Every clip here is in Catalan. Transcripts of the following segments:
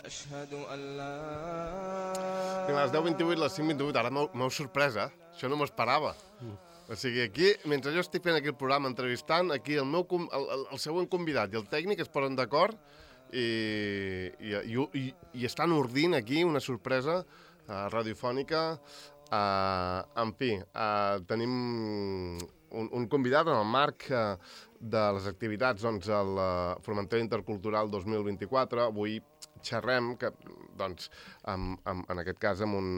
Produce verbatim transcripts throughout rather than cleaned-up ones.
I a les deu vint-i-vuit, les cinc vint-i-vuit, ara m'heu sorpresa, això no m'ho esperava. O sigui, aquí, mentre jo estic fent aquí el programa entrevistant, aquí el, meu, el, el, el següent convidat i el tècnic es posen d'acord i, i, i, i, i estan ordint aquí una sorpresa uh, radiofònica. Uh, en fi, uh, tenim un, un convidat en el marc uh, de les activitats doncs, al uh, Formentera Intercultural dos mil vint-i-quatre. Avui xerrem, que, doncs, amb, amb, en aquest cas amb un,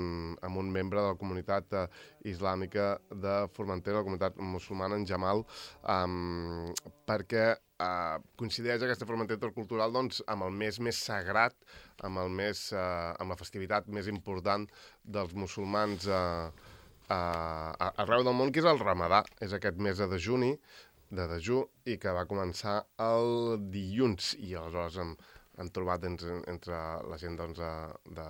amb un membre de la comunitat uh, islàmica de Formentera, la comunitat musulmana, en Jamal, um, perquè uh, coincideix aquesta Formentera Intercultural doncs, amb el mes més sagrat, amb, el més, uh, amb la festivitat més important dels musulmans uh, uh, arreu del món, que és el Ramadà. És aquest mes de dejuni, de dejú, i que va començar el dilluns, i aleshores hem, hem trobat entre, entre la gent doncs, de,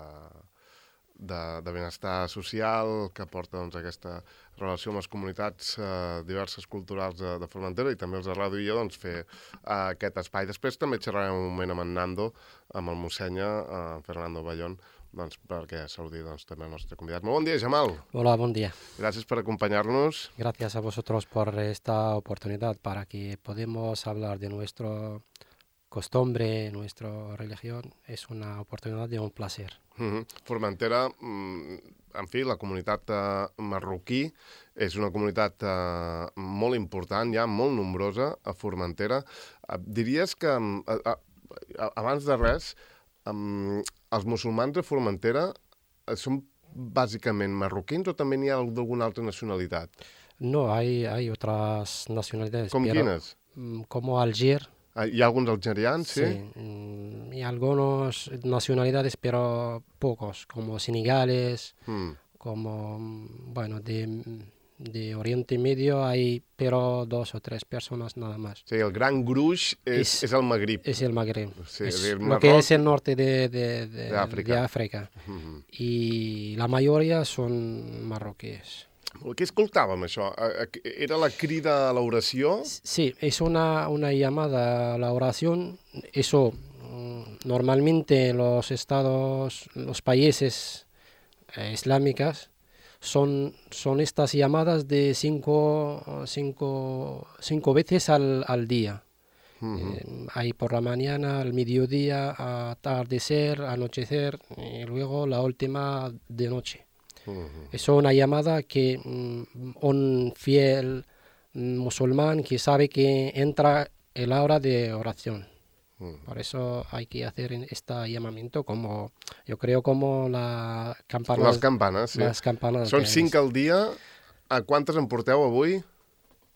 de, de benestar social, que porta doncs, aquesta relació amb les comunitats eh, diverses culturals de, de Formentera, i també els de Ràdio i jo doncs, fer eh, aquest espai. Després també xerrarem un moment amb en Nando, amb el Mossenya, eh, Fernando Bayón, doncs, perquè saludi doncs, també el nostre convidat. Molt bon dia, Jamal. Hola, buen día. Gracias por acompañarnos. Gracias a vosotros por esta oportunidad para que podamos hablar de nuestra costumbre, nuestra religión. Es una oportunidad de un placer. Uh-huh. Formentera, en fi, la comunitat uh, marroquí és una comunitat uh, molt important, ja molt nombrosa a Formentera. Uh, diries que, uh, uh, abans de res, um, els musulmans de Formentera uh, són bàsicament marroquins o també n'hi ha d'alguna altra nacionalitat? No, hay, hay otras nacionalidades. Com pero, quines? Como Alger. Hi ha alguns algerians, sí? Sí, y algunas nacionalidades, pero pocos, como senegales, mm. como, bueno, de, de Oriente Medio hay, pero dos o tres personas nada más. Sí, el gran gruix és, és, és el Magrib. És el Magrib. Sí, es el lo que es el norte de, de, de, de África. De África. Mm-hmm. Y la mayoría son marroquíes. Què escoltàvem, això? Era la crida a l'oració? Sí, es una, una llamada a la oración. Eso, normalmente los estados, los países eh, islámicos son, son estas llamadas de cinco, cinco, cinco veces al, al día. Uh-huh. eh, hay por la mañana, al mediodía, atardecer, anochecer y luego la última de noche. Uh-huh. Es una llamada que um, un fiel um, musulmán que sabe que entra el hora de oración. Uh-huh. Por eso hay que hacer este llamamiento como, yo creo, como la campana. Las campanas, sí. Las campanas. Són cinc al dia. ¿A cuántas en porteu avui?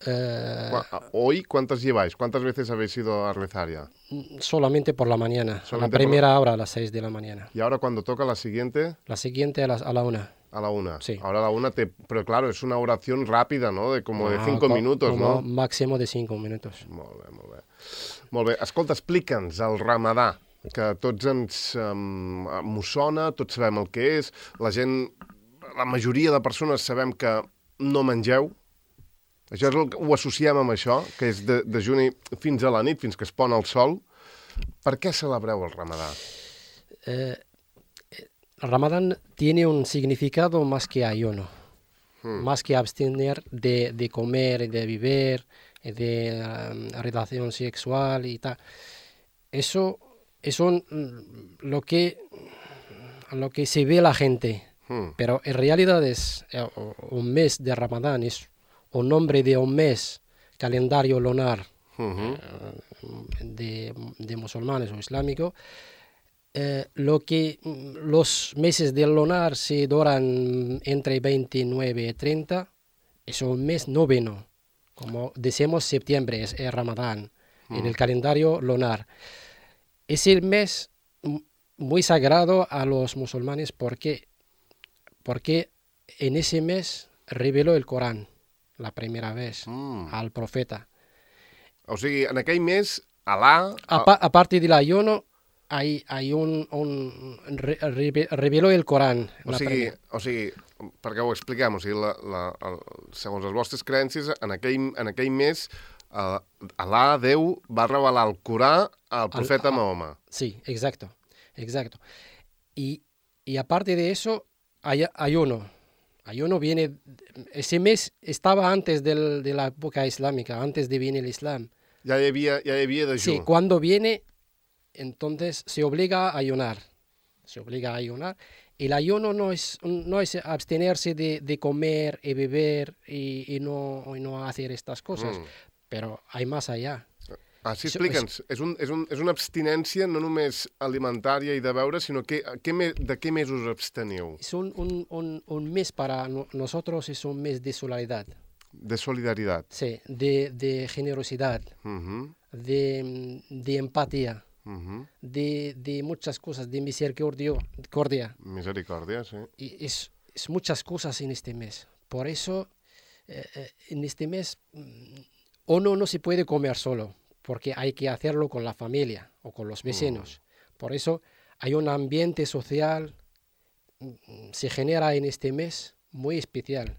Uh... Hoy, ¿cuántas lleváis? ¿Cuántas veces habéis ido a rezar ya? Solamente por la mañana. Solamente la primera la... hora a las seis de la mañana. ¿Y ahora cuando toca la siguiente? La siguiente a, las, a la una. A la una. Sí. Ahora a la una, te... pero claro, es una oración rápida, ¿no? De como ah, de cinco com, minutos, como ¿no? Máximo de cinco minutos. Molt bé, molt bé. Molt bé. Escolta, explica'ns el Ramadà, que tots ens um, m'ho sona, tots sabem el que és, la gent, la majoria de persones sabem que no mengeu. Això és el que ho associem amb això, que és de, de juny fins a la nit, fins que es pon el sol. Per què celebreu el Ramadà? Eh, el Ramadán tiene un significado más que ayuno, hmm. más que abstener de, de comer y de beber, de um, relación sexual y tal. Eso es un, lo, que, lo que se ve la gente, hmm. pero en realidad es eh, un mes de Ramadán, es un nombre de un mes, calendario lunar uh-huh. eh, de, de musulmanes o islámicos. Eh, lo que los meses del lunar se duran entre veintinueve y treinta, es un mes noveno, como decimos septiembre, es el Ramadán, uh-huh. en el calendario lunar. Es el mes muy sagrado a los musulmanes porque, porque en ese mes reveló el Corán. La primera vez, mm. al profeta. O sigui, en aquell mes, Alá... A, pa, a partir del ayuno, hay, hay un... un re, re, reveló el Corán. O sigui, o sigui, perquè ho expliquem, o sigui, la, la, el, segons les vostres creences, en aquell, en aquell mes, uh, Alá, Déu, va revelar el Corà al profeta al, Mahoma. Sí, exacto. exacto. Y, y aparte de eso, hay ayuno. Ayuno viene, ese mes estaba antes del, de la época islámica, antes de venir el Islam. Ja hi havia, ja hi havia dejú. Sí, cuando viene, entonces se obliga a ayunar. Se obliga a ayunar. El ayuno no es, no es abstenerse de, de comer y beber y, y, no, y no hacer estas cosas, Mm. pero hay más allá. Ah, sí, Això- explica'ns. És, un, és, un, és una abstinència no només alimentària i de beure, sinó que, que me, de què més us absteniu? Es un, un, un, un mes para no- nosotros, es un mes de solidaridad, De solidaritat. sí, de, de generosidad, Uh -huh, de, de empatía, uh -huh. de, de muchas cosas, de misericordia. cordia. Misericòrdia, sí. Y es, es muchas cosas en este mes. Por eso, eh, eh, en este mes, mm, uno no se puede comer solo, porque hay que hacerlo con la familia o con los vecinos. Por eso hay un ambiente social, mm, se genera en este mes muy especial.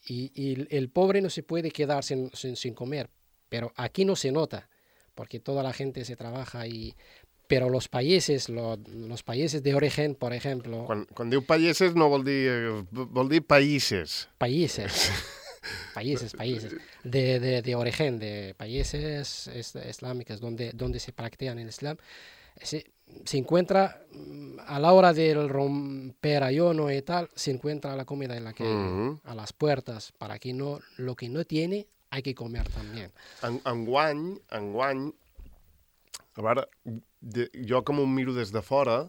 Y, y el- el pobre no se puede quedar sin, sin, sin comer, pero aquí no se nota, porque toda la gente se trabaja y... Pero los países, lo- los países de origen, por ejemplo, Quan, quan diu païses no vol dir... eh, vol dir païses. países, países, países, de, de, de origen, de países es- islámicos donde, donde se practican el Islam, se, se encuentra mm, a la hora del romper ayuno y tal, se encuentra la comida en la calle, Mhm. a las puertas, para que no, lo que no tiene, hay que comer también. En, enguany, enguany, a veure, de, jo com ho miro des de fora,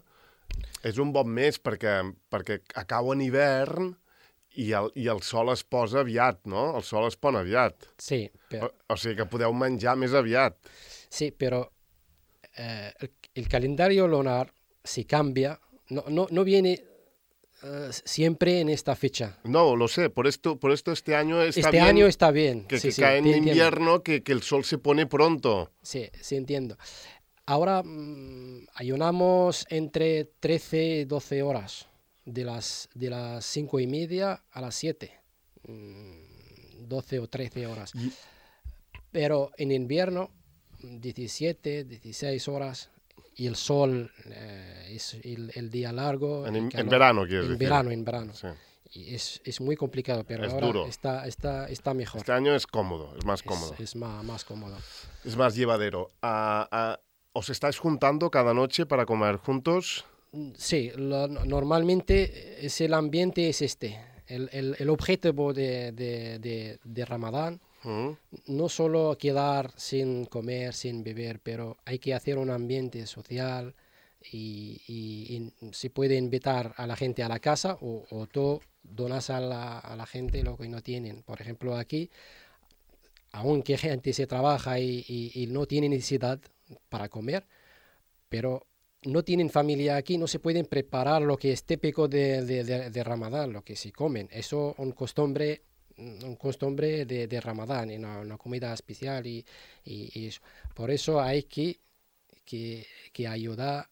és un bon mes perquè, perquè acaba en hivern i el, i el sol es posa aviat, no? El sol es pon aviat. Sí, O, pero, o sigui que podeu menjar més aviat. sí, pero eh, el, el calendario lunar se cambia, no, no, no viene eh, siempre en esta fecha. No, lo sé, por esto, por esto este año está Este bien año está bien. que, sí, que sí, cae en te entiendo. invierno, que, que el sol se pone pronto. Sí, sí entiendo. Ahora mm, ayunamos entre trece y doce horas, de las, de las cinco y media a las siete, mm, doce o trece horas. Y- Pero en invierno, diecisiete, dieciséis horas, y el sol eh, es el, el día largo. En, el en calor- verano, quieres En decir. verano, en verano. Sí. Y es, es muy complicado, pero Es ahora duro. está, está, está mejor. Este año es cómodo, es más Es, cómodo, es más, más cómodo. es más llevadero. Ah, ah, ¿os estáis juntando cada noche para comer juntos? Mm, Sí, lo- no- normalmente es el ambiente es este. El, el- el objetivo de, de, de, de Ramadán Mm? no solo quedar sin comer, sin beber, pero hay que hacer un ambiente social y, y- y se puede invitar a la gente a la casa o, o tú donas a la, a la gente lo que no tienen. Por ejemplo, aquí, aunque gente se trabaja y, y- y no tiene necesidad para comer, pero no tienen familia aquí, no se pueden preparar lo que es típico de, de, de- de Ramadán, lo que se comen. Eso un costumbre, un costumbre de, de Ramadán, y una, una comida especial y, y- y eso. Por eso hay que, que, que ayudar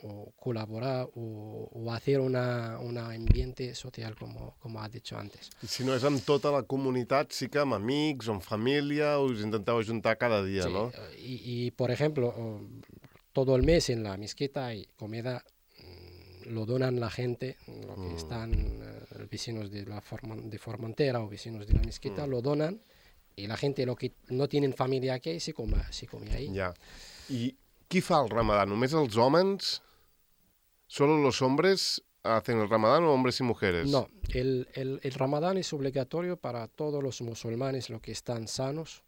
o colaborar o, o hacer una, un ambiente social, como, como has dicho antes. I si no és amb tota la comunitat, sí que amb amics o amb família us intenteu ajuntar cada dia, Sí, no? y, y, por ejemplo, o, todo el mes en la mezquita hay comida, mm, lo donan la gente, lo que Mm. están eh, vecinos de la Forman- de Formentera o vecinos de la mezquita, Mm. lo donan y la gente lo que no tienen familia aquí se come, se come ahí. Ja. I qui fa el ramadà? Només els homes? ¿Solo los hombres hacen el ramadán o hombres y mujeres? No, el, el, el Ramadán es obligatorio para todos los musulmanes, los que están sanos,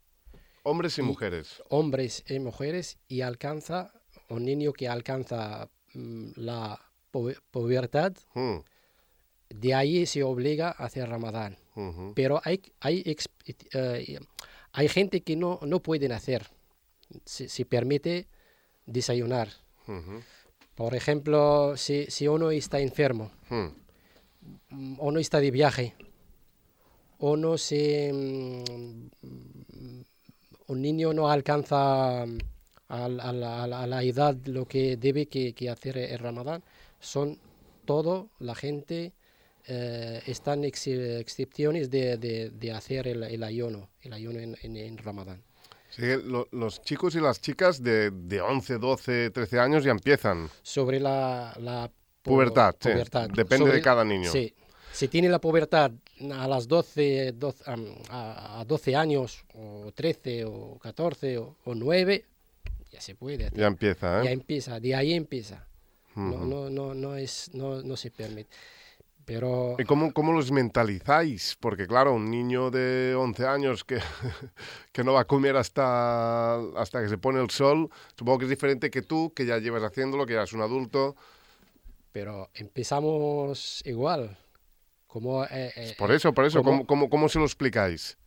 Hombres y Y- mujeres. hombres y mujeres, y alcanza, un niño que alcanza mm, la pu- pubertad, Mm. de ahí se obliga a hacer Ramadán. Mhm. Pero hay, hay, ex- eh, hay gente que no, no pueden hacer, se, se permite desayunar. Mhm. Por ejemplo, si, si uno está enfermo, Mm. mm, uno está de viaje, uno se, mm, un niño no alcanza mm, a, la- a la, a la- a la edad lo que debe que, que hacer el Ramadán, son todo la gente, eh, están ex- excepciones de, de- de hacer el, el ayuno, el ayuno en, en- en Ramadán. Sí, lo, los chicos y las chicas de, de once, doce, trece años ya empiezan. Sobre la, la po- Pubertad, sí. pubertad. Depende Sobre, de cada niño. Sí. Si tiene la pubertad a las doce, doce, am, a, a doce años, o trece, o catorce, o, o nueve, ya se puede hacer. Ya empieza, ¿eh? Ya empieza, de ahí empieza. Uh-huh. No, no, no, no, es, no, no se permite. Pero... ¿Y cómo, cómo los mentalizáis? Porque claro, un niño de once años que, que no va a comer hasta, hasta que se pone el sol, supongo que es diferente que tú, que ya llevas haciéndolo, que ya eres un adulto. Pero empezamos igual. Como, eh, eh, por eso, por eso, como, ¿cómo, cómo, cómo se lo explicáis?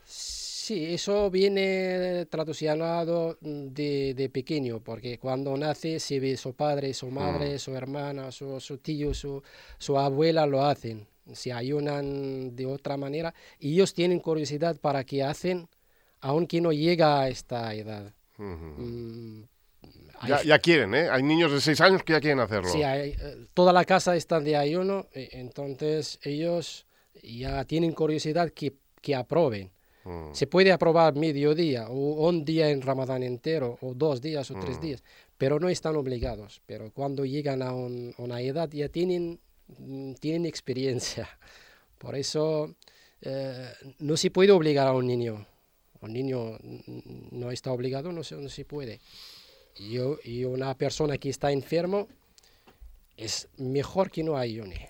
Sí, eso viene traducido de, de pequeño, porque cuando nace se ve su padre, su madre, mm. su hermana, su, su tío, su, su abuela lo hacen, se ayunan de otra manera y ellos tienen curiosidad para qué hacen, aunque no llega a esta edad. Uh-huh. Mm, ya, ya quieren, ¿eh? Hay niños de seis años que ya quieren hacerlo. Sí, hay, toda la casa está de ayuno, entonces ellos ya tienen curiosidad que, que aprueben. Mm. Se puede aprobar mediodía o un día en Ramadán entero o dos días o mm. tres días, pero no están obligados. Pero cuando llegan a un, una edad ya tienen, tienen experiencia. Por eso eh, no se puede obligar a un niño. Un niño no está obligado, no se, no se puede. Y, y una persona que está enfermo es mejor que no ayune.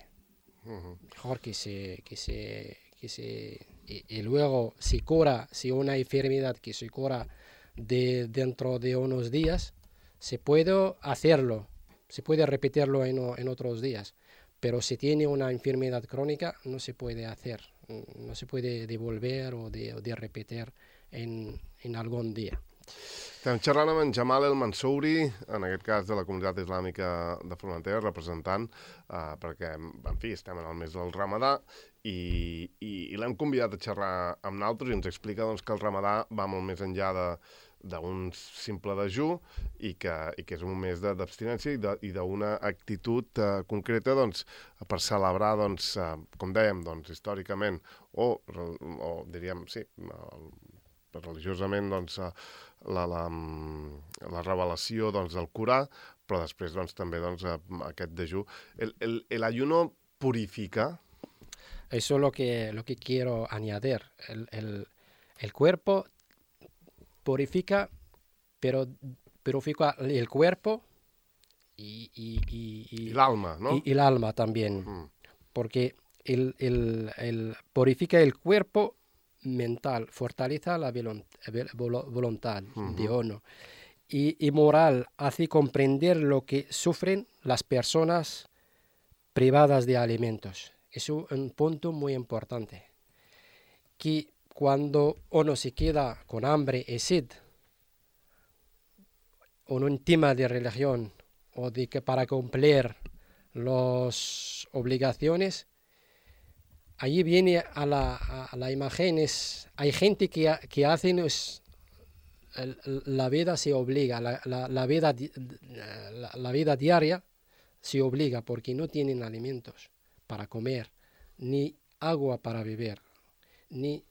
Uh-huh. Mejor que se... Que se, que se Y, y luego si cura, si una enfermedad que se cura de, dentro de unos días, se puede hacerlo, se puede repetirlo en, en otros días, pero si tiene una enfermedad crónica no se puede hacer, no se puede devolver o de, o de repetir en, en algún día. Estem xerrant amb en Jamal El Mansouri, en aquest cas de la comunitat islàmica de Formentera, representant, eh, perquè, en fi, estem en el mes del Ramadà i, i, i l'hem convidat a xerrar amb nosaltres i ens explica doncs, que el Ramadà va molt més enllà de d'un simple dejú i que, i que és un mes d'abstinència i d'una actitud eh, concreta doncs, per celebrar, doncs, eh, com dèiem, doncs, històricament o, o diríem, sí, el, religiosament doncs, la, la, la revelació doncs, del Corà, però després doncs, també doncs, aquest dejú. El, el, el ayuno purifica. Eso es lo que, lo que quiero añadir. El, el, el cuerpo purifica, pero purifica el cuerpo y, y, y, y, y el alma, ¿no? Y, y el alma también, mm. porque el, el, el purifica el cuerpo mental, fortaleza la voluntad uh-huh. de uno y, y moral, hace comprender lo que sufren las personas privadas de alimentos. Es un punto muy importante, que cuando uno se queda con hambre y sed, o en un tema de religión, o de que para cumplir las obligaciones, allí viene a la, a la imagen, es, hay gente que, que hacen, es, el, la vida se obliga, la, la, la, vida, la, la vida diaria se obliga porque no tienen alimentos para comer, ni agua para beber, ni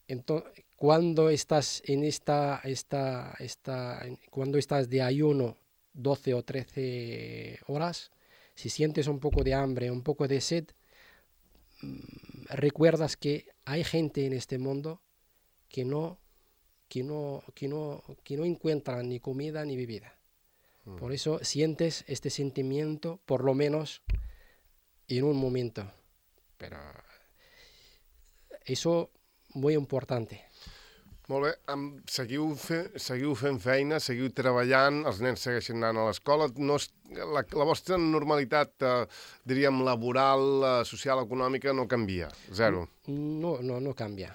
entonces cuando estás en esta, esta, esta cuando estás de ayuno doce o trece horas, si sientes un poco de hambre, un poco de sed, recuerdas que hay gente en este mundo que no, que no, que no, que no encuentra ni comida ni bebida. Mm. Por eso sientes este sentimiento, por lo menos en un momento. Pero eso muy importante. Molt bé, um, seguiu, fe, seguiu fent feina, seguiu treballant, els nens segueixen anant a l'escola. No és, la, la vostra normalitat, eh, diríem, laboral, eh, social, econòmica, no canvia, zero. No, no, no canvia.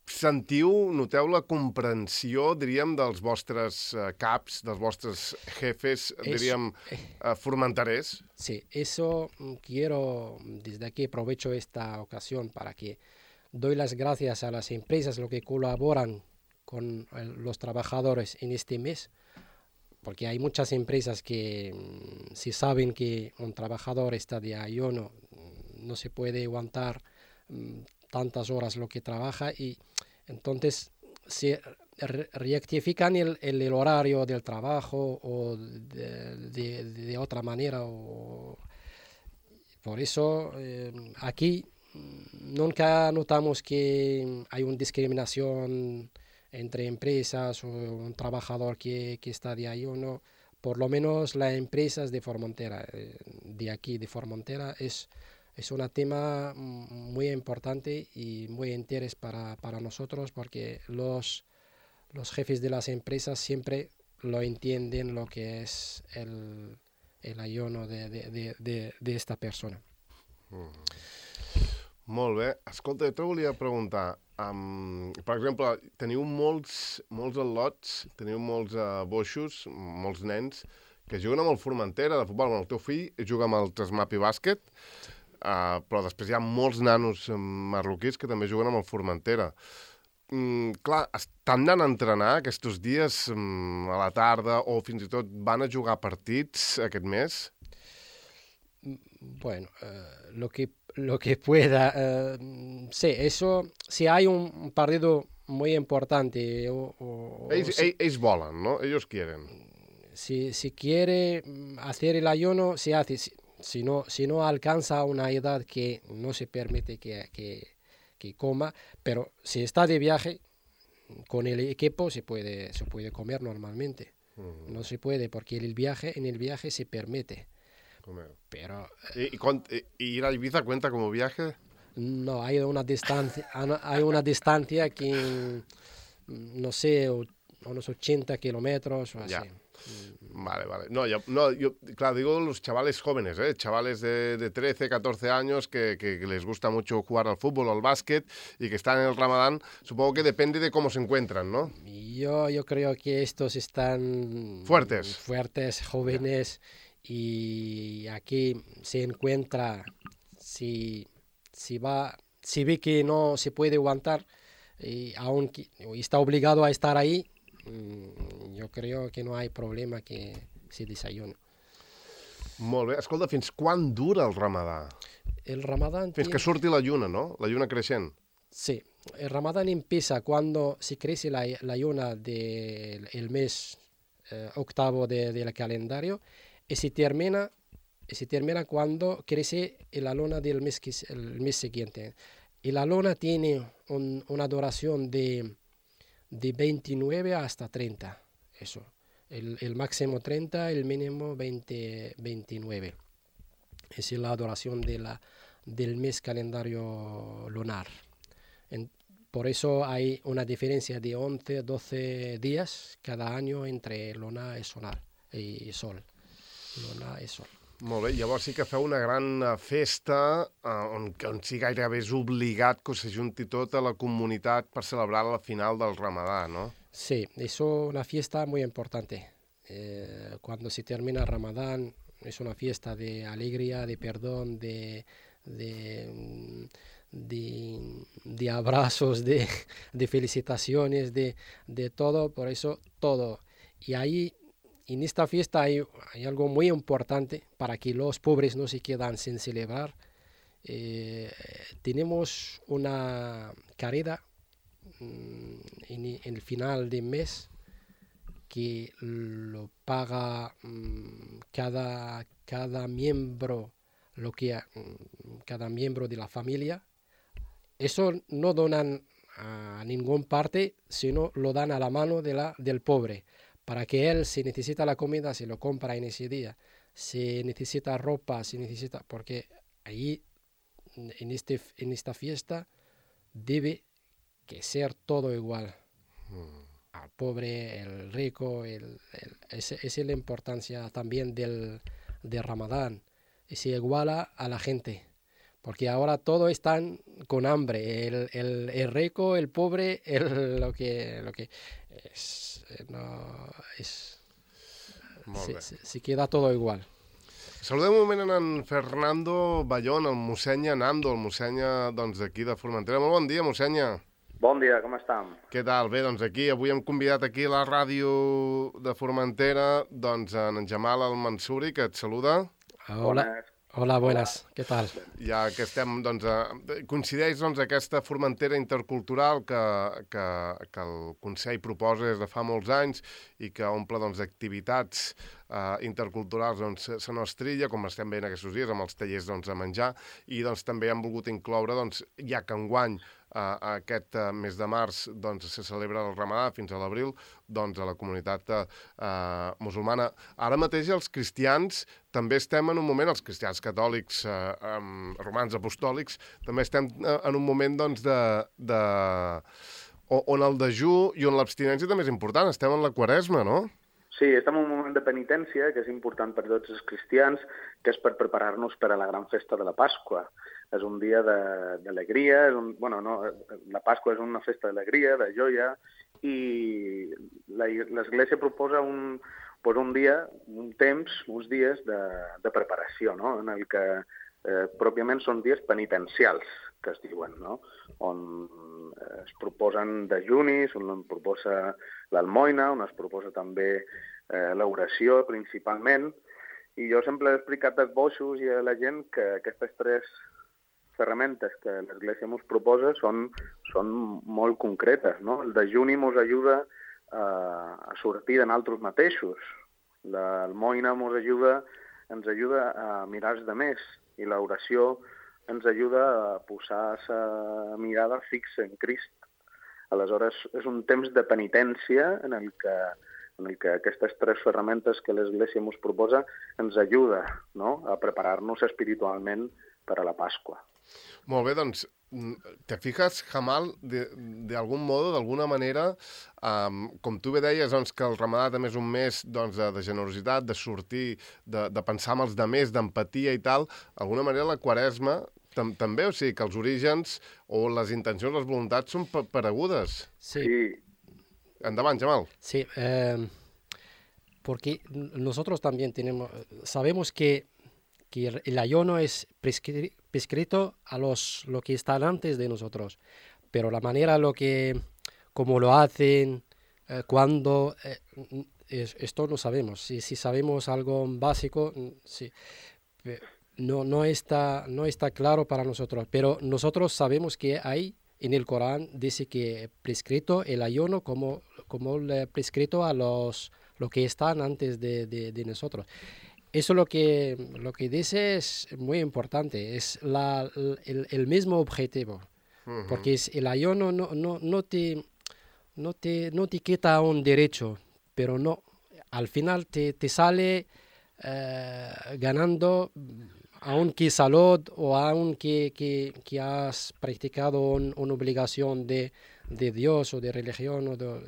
Sentiu, noteu la comprensió, diríem, dels vostres eh, caps, dels vostres jefes, es, diríem, eh, formenterers? Sí, eso quiero, desde aquí aprovecho esta ocasión para que doy las gracias a las empresas lo que colaboran con el, los trabajadores en este mes, porque hay muchas empresas que mm, si saben que un trabajador está de ayuno, no se puede aguantar mm, tantas horas lo que trabaja y entonces se re- rectifican el, el, el horario del trabajo o de, de, de otra manera. O, por eso eh, aquí mm, nunca notamos que hay una discriminación entre empresas o un trabajador que, que está de ahí o no. Por lo menos las empresas de Formentera, eh, de aquí de Formentera, es, es un tema mm, muy importante y muy interés para, para nosotros porque los, los jefes de las empresas siempre lo entienden lo que es el, el ayuno de, de, de, de, de esta persona. Molt bé. Escolta, jo te volia preguntar, um, per exemple, teniu molts, molts al·lots, teniu molts uh, boixos, molts nens, que juguen amb el Formentera de futbol. Bueno, el teu fill juga amb el Trasmapi Bàsquet, uh, però després hi ha molts nanos marroquins que també juguen amb el Formentera. Mm, clar, estan anant a entrenar aquests dies mm, a la tarda o fins i tot van a jugar partits aquest mes? Bueno, uh, lo que lo que pueda. Uh, sí, eso, si hay un, un partido muy importante o, o, Ells, o si, ells volen, no? Ells quieren. si, si quiere hacer el ayuno, se hace. Si, si, no, si no alcanza una edad que no se permite que, que, que coma, pero si está de viaje con el equipo se puede, se puede comer normalmente. Uh-huh. No se puede porque el viaje, en el viaje se permite. Pero, ¿Y, y, y ir a Ibiza cuenta como viaje? No, hay una distancia, hay una distancia que, no sé, unos ochenta kilómetros o así. Ya. Vale, vale. No, yo, no, yo, claro, digo los chavales jóvenes, ¿eh? Chavales de, de trece, catorce años que, que, que les gusta mucho jugar al fútbol o al básquet y que están en el Ramadán. Supongo que depende de cómo se encuentran, ¿no? Yo, yo creo que estos están... Fuertes. Fuertes, jóvenes. Ya. Y aquí se encuentra, si, si, va, si ve que no se puede aguantar y aunque está obligado a estar ahí, yo creo que no hay problema que se desayune. Molt bé. Escolta, fins quan dura el Ramadà? El Ramadán... Fins tiene... que surti la lluna, ¿no? La lluna creixent. Sí. El Ramadán empieza cuando se crece la, la lluna del de, mes eh, octavo del de calendario y se termina, y se termina cuando crece la luna del mes, que, el mes siguiente. Y la luna tiene un, una duración de, de veintinueve hasta treinta. Eso. El, el máximo treinta, el mínimo veinte, veintinueve. Esa es la duración de la, del mes calendario lunar. En, por eso hay una diferencia de once, doce días cada año entre luna y, solar, y sol. Luna i sol. Molt bé, llavors sí que feu una gran festa eh, on, on sí gairebé és obligat que s'ajunti tota la comunitat per celebrar la final del Ramadà, ¿no? Sí, es una fiesta muy importante. Eh, cuando se termina el Ramadán es una fiesta de alegría, de perdón, de, de, de, de abrazos, de, de felicitaciones, de, de todo, por eso todo. Y ahí... En esta fiesta hay, hay algo muy importante para que los pobres no se quedan sin celebrar. Eh, tenemos una carrera mm, en, en el final del mes que lo paga mm, cada, cada miembro, lo que mm, cada miembro de la familia. Eso no donan a ninguna parte, sino lo dan a la mano de la, del pobre. Para que él, si necesita la comida, se lo compra en ese día. Si necesita ropa, si necesita... Porque ahí, en, este, en esta fiesta, debe que ser todo igual. Mm. Al pobre, el rico, el, el, esa es la importancia también del, del Ramadán. Y se iguala a la gente. Porque ahora todos están con hambre. El, el, el rico, el pobre, el, lo que... Lo que es, no, es, se, se, se queda todo igual. Saludem un moment en Fernando Bayón, el mossèn Nando, el mossèn doncs, d'aquí de Formentera. Molt bon dia, mossèn. Bon dia, com estem? Què tal? Bé, doncs aquí, avui hem convidat aquí a la ràdio de Formentera doncs, en Jamal Al Mansuri, que et saluda. Hola, Hola, buenas, què tal? Ja que estem, doncs, eh, coincideix doncs, aquesta Formentera intercultural que, que, que el Consell proposa des de fa molts anys i que omple doncs, d'activitats eh, interculturals doncs, se nostrilla, com estem veient aquests dies amb els tallers doncs, a menjar, i doncs, també han volgut incloure, doncs, ja que enguany Uh, aquest uh, mes de març doncs, se celebra el Ramadà fins a l'abril, doncs a la comunitat uh, musulmana. Ara mateix els cristians també estem en un moment, els cristians catòlics, uh, um, romans apostòlics, també estem uh, en un moment doncs, de, de... on el dejú i on l'abstinència també és important. Estem en la Quaresma, no? Sí, estem en un moment de penitència que és important per tots els cristians, que és per preparar-nos per a la gran festa de la Pasqua. És un dia d'alegria, bueno, no, la Pasqua és una festa d'alegria, de joia, i l'Església proposa un, pues un dia, un temps, uns dies de, de preparació, no? En el que eh, pròpiament són dies penitencials, que es diuen, no? On es proposen dejunis, on es proposa l'almoina, on es proposa també eh, l'oració, principalment, i jo sempre he explicat als boixos i a la gent que aquestes tres ferramentes que l'Església ens proposa són, són molt concretes, no? El dejuni ens ajuda a, a sortir de nosaltres mateixos. L'almoina ens ajuda, ens ajuda a mirar els demés i l'oració ens ajuda a posar la mirada fixa en Crist. Aleshores, és un temps de penitència en el que, en el que aquestes tres ferramentes que l'Església ens proposa ens ajuda, no? A preparar-nos espiritualment per a la Pasqua. Molt bé, doncs, te fijas, Jamal, de, de algun modo, d'alguna manera, um, com tu bé deies, doncs, que el Ramadà també és un mes doncs, de, de generositat, de sortir, de, de pensar en els demés, d'empatia i tal, d'alguna manera la Quaresma tam també, o sigui, que els orígens o les intencions, les voluntats són paregudes. Sí. Endavant, Jamal. Sí, eh, porque nosotros también tenemos, sabemos que que el ayuno es prescri prescrito a los lo que están antes de nosotros, pero la manera lo que como lo hacen, eh, cuándo, eh, es, esto no sabemos. Si, si sabemos algo básico, sí, no no está no está claro para nosotros, pero nosotros sabemos que hay en el Corán dice que prescrito el ayuno como como le prescrito a los lo que están antes de, de, de nosotros. Eso lo que, lo que dice es muy importante, es la, el, el mismo objetivo, uh-huh. Porque es, el ayuno no, no, no, te, no, te, no te quita un derecho, pero no, al final te, te sale eh, ganando, aunque salud o aunque que, que has practicado un, una obligación de, de Dios o de religión o de,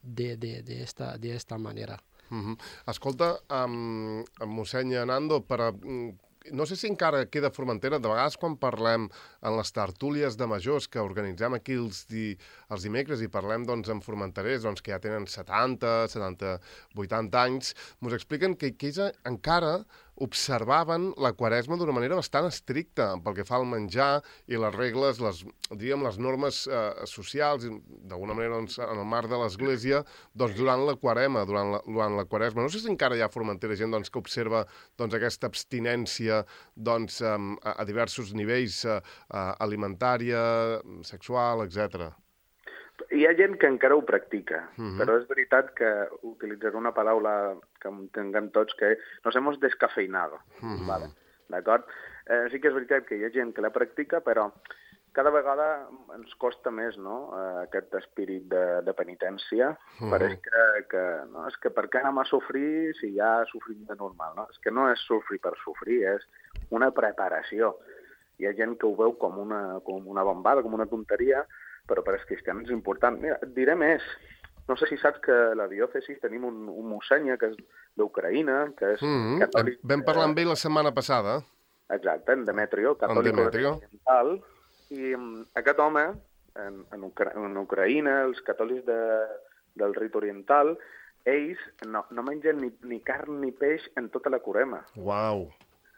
de, de, de, esta, de esta manera. Uh-huh. Escolta, um, mossèn Nando, per a, no sé si encara queda Formentera, de vegades quan parlem en les tertúlies de majors que organitzem aquí els, di, els dimecres i parlem doncs, amb formenterers doncs, que ja tenen setanta, setanta, vuitanta anys, ens expliquen que, que ells encara observaven la Quaresma d'una manera bastant estricta pel que fa al menjar i les regles, les, diríem, les normes eh, socials, d'alguna manera doncs, en el marc de l'Església, doncs, durant la Quaresma, durant la, durant la Quaresma. No sé si encara hi ha Formentera gent doncs, que observa doncs, aquesta abstinència doncs, a, a diversos nivells, eh, alimentària, sexual, etcètera. Hi ha gent que encara ho practica, uh-huh. Però és veritat que utilitzaré una paraula que entenguem tots, que nos hemos descafeinado, uh-huh. Vale? D'acord? Eh, sí que és veritat que hi ha gent que la practica, però cada vegada ens costa més, no?, eh, aquest espírit de, de penitència. Uh-huh. Pareix que, que, no, és que per què anem a sofrir si ja sofrim de normal, no? És que no és sofrir per sofrir, és una preparació. Hi ha gent que ho veu com una, com una bombada, com una tonteria, però per als cristians és important. Mira, et diré més. No sé si saps que a la diòcesi tenim un, un mossèn que és d'Ucraïna, que és mm-hmm. catòlic... Vam parlar amb ell la setmana passada. Exacte, en Demetrio, catòlic oriental. I aquest home, en, en, Ucra en Ucraïna, els catòlics de, del rit oriental, ells no, no mengen ni, ni carn ni peix en tota la Quaresma. Uau!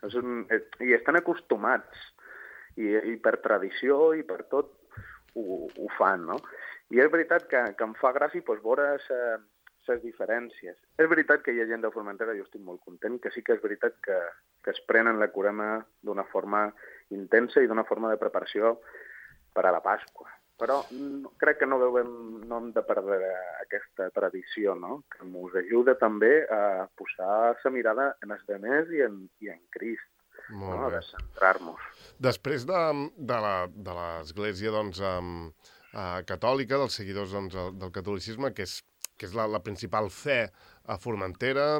És un, I estan acostumats. I, I per tradició i per tot, Ho, ho fan, no? I és veritat que, que em fa gràcia doncs, veure les diferències. És veritat que hi ha gent de Formentera, jo estic molt content, que sí que és veritat que, que es prenen la Curema d'una forma intensa i d'una forma de preparació per a la Pasqua. Però crec que no, devem, no hem de perdre aquesta tradició, no? Que ens ajuda també a posar la mirada en els demés i en, i en Crist, no? De centrar-nos. Després de, de l'Església doncs, um, uh, catòlica, dels seguidors doncs, del catolicisme, que és, que és la, la principal fe a Formentera,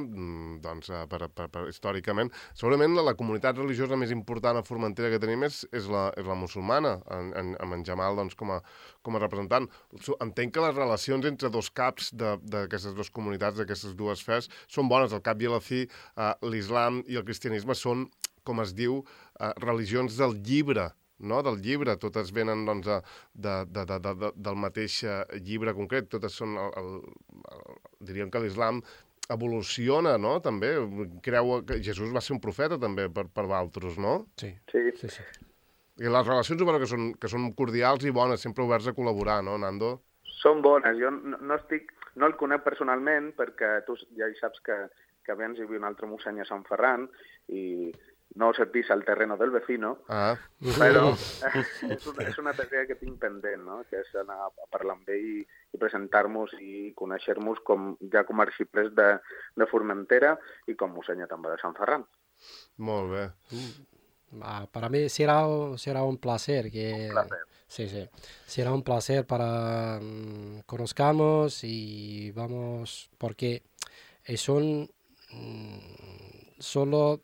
doncs, per, per, per, històricament, segurament la, la comunitat religiosa més important a Formentera que tenim és, és, la, és la musulmana, en, en, amb en Jamal doncs, com, a, com a representant. Entenc que les relacions entre dos caps d'aquestes dues comunitats, d'aquestes dues fes, són bones. Al cap i a la fi, eh, l'islam i el cristianisme són, com es diu, eh, religions del llibre, no? Del llibre, totes venen doncs, de, de, de, de, del mateix llibre concret, totes són, el, el, el, diríem que l'islam evoluciona, no?, també, creu que Jesús va ser un profeta també per, per altres, no? Sí. Sí. Sí, sí. I les relacions, bueno, que són, que són cordials i bones, sempre oberts a col·laborar, no, Nando? Són bones, jo no, no estic, no el conec personalment perquè tu ja saps que, que abans hi havia un altre mossèn a Sant Ferran i no se pisa el terreno del vecino, ah. però és una, és una tarea que tinc pendent, no? Que és anar a parlar amb ell i, i presentar-nos i conèixer-nos com, ja com a arxiprés de, de Formentera i com mossèn també de Sant Ferran. Molt bé. Ah, para mí será, será un placer. Que, un placer. Sí, sí. Será un placer para um, conozcamos y vamos, porque son um, solo...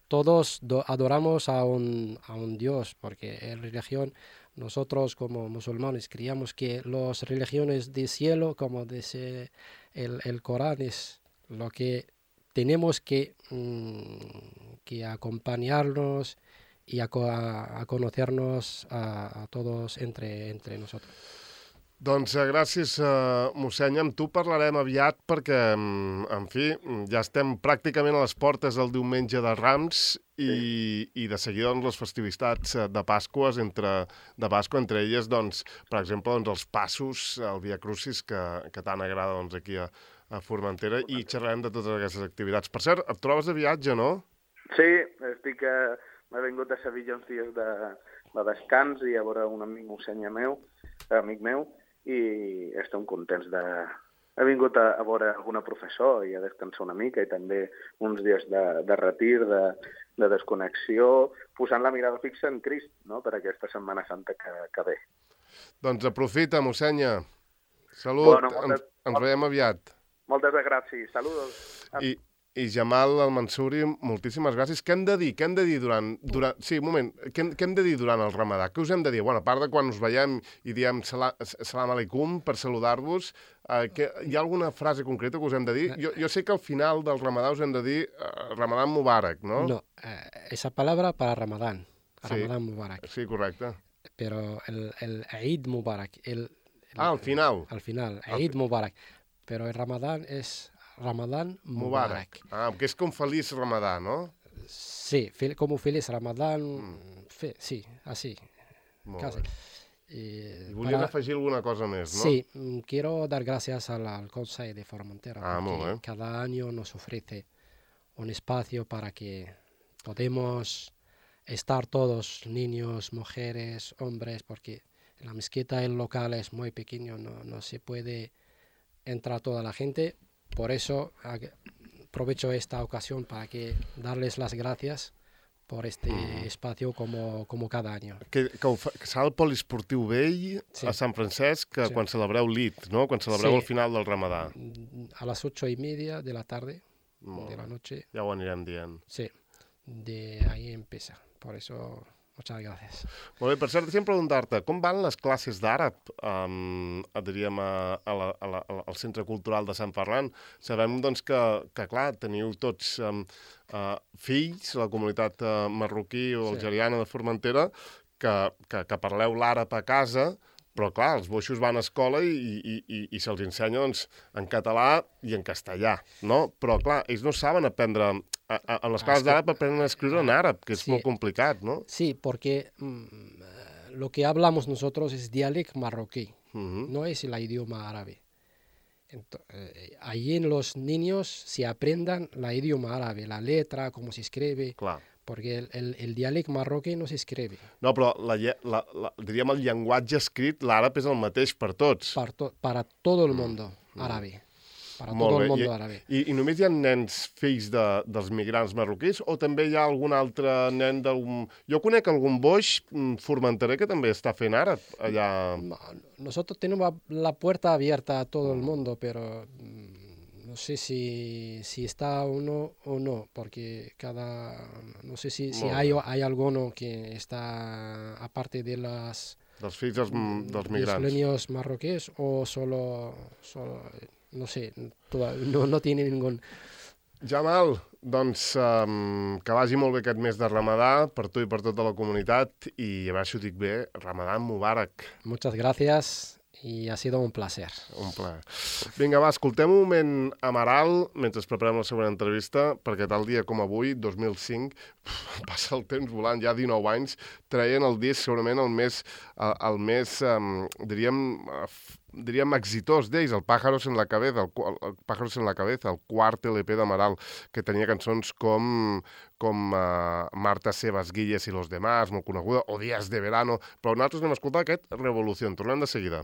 Todos adoramos a un, a un Dios, porque en religión, nosotros como musulmanes creíamos que las religiones del cielo, como dice el, el Corán, es lo que tenemos que, mmm, que acompañarnos y a, a, a conocernos a, a todos entre, entre nosotros. Doncs gràcies, uh, mossèn. Amb tu parlarem aviat perquè, en fi, ja estem pràcticament a les portes del diumenge de Rams i, sí. i de seguida doncs, les festivitats de Pasques, entre, de Pasqua, entre elles, doncs, per exemple, doncs, els passos, el Via Crucis, que, que tant agrada doncs, aquí a, a Formentera, i xerrarem de totes aquestes activitats. Per cert, et trobes de viatge, no? Sí, estic a... m'he vingut a Sevilla uns dies de, de descans i a veure un amic mossèn meu, amic meu, i estem contents de... He vingut a, a veure alguna professor i a descansar una mica i també uns dies de, de retir, de, de desconnexió, posant la mirada fixa en Crist, no?, per aquesta Setmana Santa que, que ve. Doncs aprofita, mossenya. Salut, bueno, moltes, ens, ens veiem aviat. Moltes gràcies, saludos. I, I Jamal Al-Mansuri, moltíssimes gràcies. Què hem de dir? Què hem de dir durant... durant... Sí, un moment. Què hem, què hem de dir durant el Ramadà? Què us hem de dir? Bueno, a part de quan us veiem i diem salam, salam alaikum per saludar-vos, eh, que, hi ha alguna frase concreta que us hem de dir? Jo, jo sé que al final del Ramadà us hem de dir eh, Ramadán Mubarak, ¿no? No, eh, esa palabra para Ramadán. Ramadán sí, Mubarak. Sí, correcte. Pero el, el Eid Mubarak. El, el, ah, al final. Al final, Eid Mubarak. Pero el Ramadán es... Ramadán Mubarak. Mubarak. Ah, que és com feliç Ramadà, ¿no? Sí, como feliz Ramadán, mm. fe, sí, así. Molt casi. bé. Y, I volies para... afegir alguna cosa més, ¿no? Sí, quiero dar gracias al, al Consejo de Formentera, ah, porque cada año nos ofrece un espacio para que podamos estar todos, niños, mujeres, hombres, porque en la mezquita el local es muy pequeño, no, no se puede entrar toda la gente. Por eso aprovecho esta ocasión para que darles las gracias por este mm. espacio como, como cada año. Que, que, fa, que serà el poliesportiu vell sí. a Sant Francesc, que sí. quan celebreu l'Id, no? Quan celebreu sí. el final del Ramadà. A las ocho y media de la tarde, Molt de la noche. Ja ho anirem dient. Sí, de ahí empieza. Por eso... Muchas gracias. Molt bé, per cert, deixa'm preguntar-te, com van les classes d'àrab, um, diríem, a, a la, a la, al Centre Cultural de Sant Ferran? Sabem, doncs, que, que clar, teniu tots um, uh, fills, la comunitat uh, marroquí o sí. algeriana de Formentera, que, que, que parleu l'àrab a casa, però, clar, els boixos van a escola i, i, i, i se'ls ensenya, doncs, en català i en castellà, no? Però, clar, ells no saben aprendre... A, a, a les classes d'àrab aprenen a escriure en àrab, que és sí. molt complicat, ¿no? Sí, porque mm, lo que hablamos nosotros es dialecto marroquí, uh-huh. no es el idioma árabe. Ento- eh, allí en los niños se aprendan la idioma árabe, la letra, cómo se escribe, Clar. porque el, el, el dialecte marroquí no se escribe. No, però la, lle- la, la, diríem el llenguatge escrit, l'àrab és el mateix per tots. Para, to- para todo el mundo árabe. Para Molt todo bé. el mundo I, árabe. i, I només hi ha nens fills de, dels migrants marroquins o també hi ha algun altre nen d'algun... Jo conec algun boix mm, formenterer que també està fent àrab allà... No, Nosotros tenemos la puerta abierta a todo el mundo, pero mm, no sé si, si está uno o no, porque cada... No sé si, si Molt hay, bé. hay alguno que está aparte de las... dels fills dels, dels de los migrants. niños marroquíes o solo... solo no sé, toda- no, no tiene ningún... Jamal, doncs um, que vagi molt bé aquest mes de Ramadà per tu i per tota la comunitat i a veure si ho dic bé, Ramadà Mubarak. Muchas gracias y ha sido un placer. Un plaer. Vinga, va, escoltem un moment Amaral mentre ens preparem la següent entrevista, perquè tal dia com avui, dos mil cinc, passa el temps volant, ja dinou anys, traient el disc segurament el més, el, el més um, diríem, uh, diríem exitós d'ells, el Pájaros en la cabeza, el, el, el Pájaros en la cabeza, el quart L P d'Amaral, que tenia cançons com, com uh, Marta Sebas Guilles i los demás, molt coneguda, o Días de verano, però nosaltres anem a escoltar aquest Revolución. Tornem de seguida.